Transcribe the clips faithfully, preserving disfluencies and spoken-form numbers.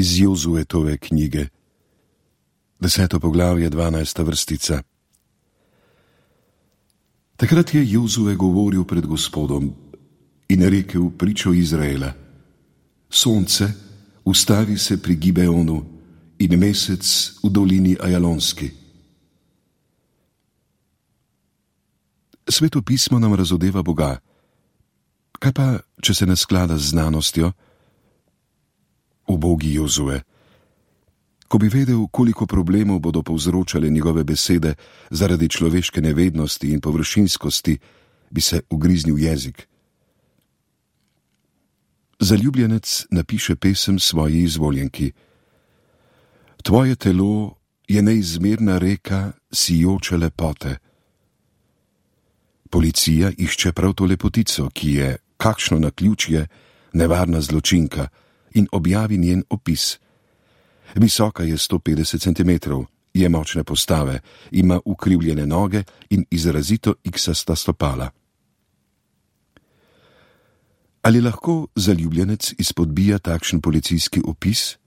Iz Jozuetove knjige, deseto poglavje, dvanajsta vrstica. Takrat je Jozue govoril pred Gospodom in rekel pričo Izraela: Sonce, ustavi se pri Gibeonu in mesec v dolini Ajalonski. Sveto pismo nam razodeva Boga. Kaj pa, če se ne sklada z znanostjo? Ubogi Jozue, ko bi vedel, koliko problemov bodo povzročale njegove besede zaradi človeške nevednosti in površinskosti, bi se ugriznil jezik. Zaljubljenec napiše pesem svoji izvoljenki. Tvoje telo je neizmerna reka sijoče lepote. Policija išče prav to lepotico, ki je, kakšno naključje, nevarna zločinka, in objavi njen opis. Visoka je sto petdeset centimetrov, je močne postave, ima ukrivljene noge in izrazito iksasta stopala. Ali lahko zaljubljenec izpodbija takšen policijski opis?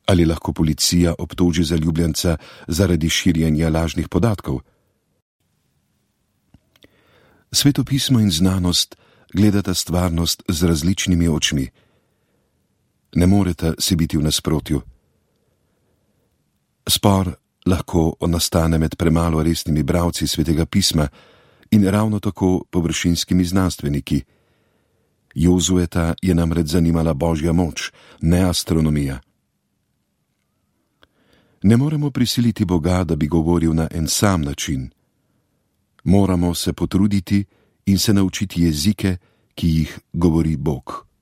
Ali lahko policija obtoži zaljubljenca zaradi širjenja lažnih podatkov? Sveto pismo in znanost gledata stvarnost z različnimi očmi. Ne moreta si biti v nasprotju. Spor lahko nastane med premalo resnimi bralci Svetega pisma in ravno tako površinskimi znanstveniki. Jozueta je namreč zanimala Božja moč, ne astronomija. Ne moremo prisiliti Boga, da bi govoril na en sam način. Moramo se potruditi in se naučiti jezike, ki jih govori Bog.